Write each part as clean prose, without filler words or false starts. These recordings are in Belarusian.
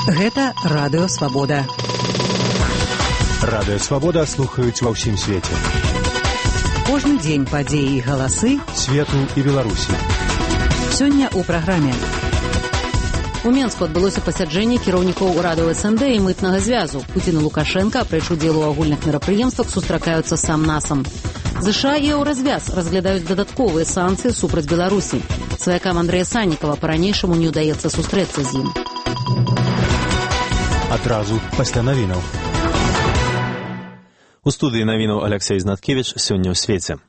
Гэта Радыё Свабода. Радыё Свабода слухаюць ва ўсім свеце. Кожны дзень падзеі і галасы свету і Беларусі. Сёння ў праграме. У Менску адбылося пасяджэнне кіраўнікоў урадаў СНД і мытнага звязу. Пуцін і Лукашенка, апроч удзелу ў агульных мерапрыемствах, сустракаюцца сам-насам. ЗША і Еўразвяз разглядаюць дадатковыя санкцыі супраць Беларусі. Сваякам Андрэя Саннікава па-ранейшаму не ўдаецца сустрэцца з ім. Адразу пасля навінаў. У студыі навінаў Алексей Знаткевич сёння ў свеце.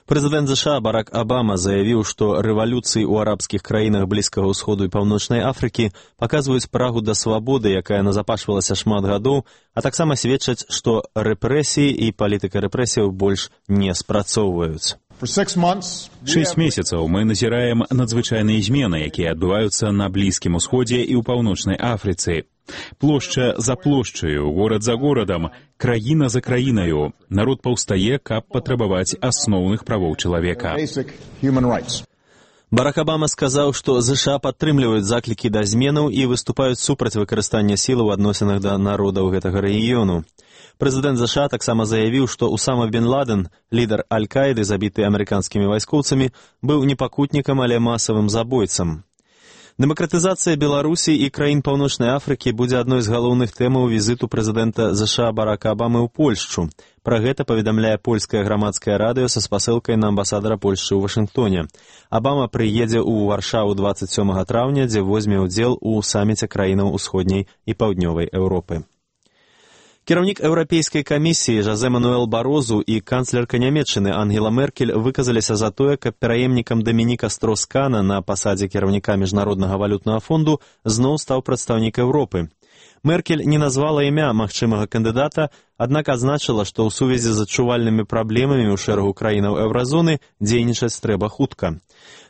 Прэзідэнт ЗША Барак Абама заявіў, што рэвалюцыі ў арабскіх краінах Блізкага ўсходу і Паўночнай Афрыкі паказваюць прагу да свабоды, якая назапашвалася шмат гадоў, а таксама сведчаць, што рэпрэсіі і палітыка рэпрэсіяў больш не спрацоўваюць. 6 месяцаў мы назіраем надзвычайныя змены, якія адбываюцца на Блізкім усходзе і ў Паўночнай Афрыцы. Плошча за плошчаю, горад за горадам, краіна за краінаю. Народ паўстае, каб патрабаваць асноўных правоў чалавека. Барак Абама сказаў, што ЗША падтрымліваюць заклікі да зменаў і выступаюць супраць выкарыстання сілы ў адносінах да народаў гэтага рэгіёну. Прэзідэнт ЗША таксама заявіў, што Усама бен Ладен, лідар Аль-Каіды, забіты амерыканскімі вайскоўцамі, быў не пакутнікам, але масавым забойцам. Дэмакратызацыя Беларусі і краін Паўночнай Афрыкі будзе адной з галоўных тэмаў візіту прэзідэнта ЗША Барака Абамы ў Польшчу. Пра гэта паведамляе польскае грамадскае радыё са спасылкай на амбасадара Польшчы ў Вашынгтоне. Абама прыедзе ў Варшаву 27 траўня, дзе возьме ўдзел у саміце краінаў усходняй і паўднёвай Еўропы. Кіраўнік Еўрапейскай камісіі Жозе Мануэл Барозу і канцлерка Нямецчыны Ангела Меркель выказаліся за тое, каб пераемнікам Дамініка Строскана на пасадзе кіраўніка Міжнароднага валютнага фонду зноў стаў прадстаўнік Еўропы. Меркель не назвала імя магчымага кандыдата, аднак адзначыла, што ў сувязі з адчувальнымі праблемамі ў шэрагу краінаў еўразоны дзейнічаць трэба хутка.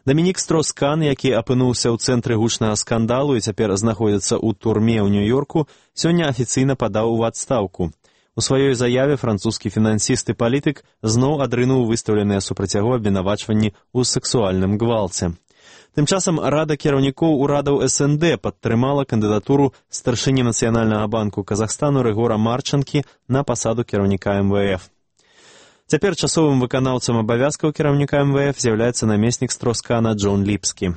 Дамінік Строскан, які апынуўся ў цэнтры гучнага скандалу і цяпер знаходзіцца ў турме ў Нью-Йорку, сёння афіцыйна падаў у адстаўку. У сваёй заяве французскі фінансіст і палітык зноў адрынуў выстаўленыя супраць яго абвінавачванні ў сэксуальным гвалце. Тым часам Рада кіраўнікоў урадаў СНД падтрымала кандыдатуру старшыні Нацыянальнага банку Казахстану Рыгора Марчанкі на пасаду кіраўніка МВФ. Цяпер часовым выканаўцам абавязкаў кіраўніка МВФ з'яўляецца намеснік Строскана Джон Ліпскі.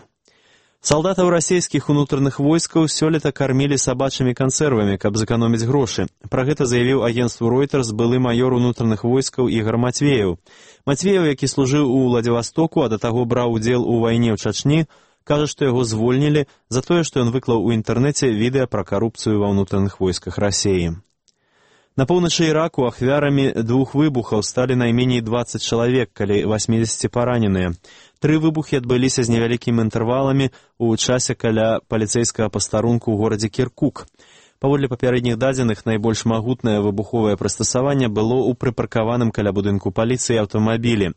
Салдатаў расійскіх унутраных войскаў сёлета кармілі сабачымі кансервамі, каб зэканоміць грошы. Пра гэта заявіў агенцтву Reuters былы маёр унутраных войскаў Ігар Матвееў. Матвееў, які служыў у Владзівастоку, а да таго браў удзел у вайне ў Чачні, кажа, што яго звольнілі за тое, што ён выклаў у інтэрнэце відэа пра карупцыю ва ўнутраных войсках Расіі. На поўначы Іраку ахвярамі 2 выбухаў сталі найменей 20 чалавек, калі 80 параненыя. 3 выбухі адбыліся з невялікімі інтэрваламі ў часе каля паліцэйскага пастарунку ў горадзе Кіркук. Паводле папярэдніх дадзеных, найбольш магутнае выбуховае прыстасаванне было ў прыпаркаваным каля будынку паліцыі аўтамабілі.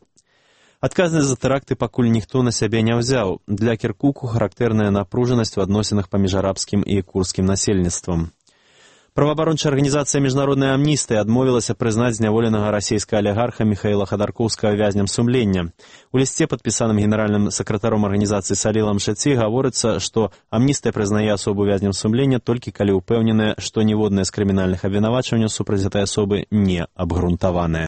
Адказнасць за тэракты пакуль ніхто на сябе не ўзяў. Для Кіркуку характэрная напружанасць у адносінах паміж арабскім і курдскім насельніцтвам. Праваабарончая арганізацыя Міжнародная амністыя адмовілася прызнаць зняволенага расійскага алігарха Міхаіла Хадаркоўскага вязням сумлення. У лісце, падпісаным генеральным сакратаром арганізацыі Салілам Шэці, гаворыцца, што амністыя прызнае асобу вязням сумлення толькі калі ўпэўненая, што ніводнае з крымінальных абвінавачванняў супраць гэтай асобы не абгрунтаванае.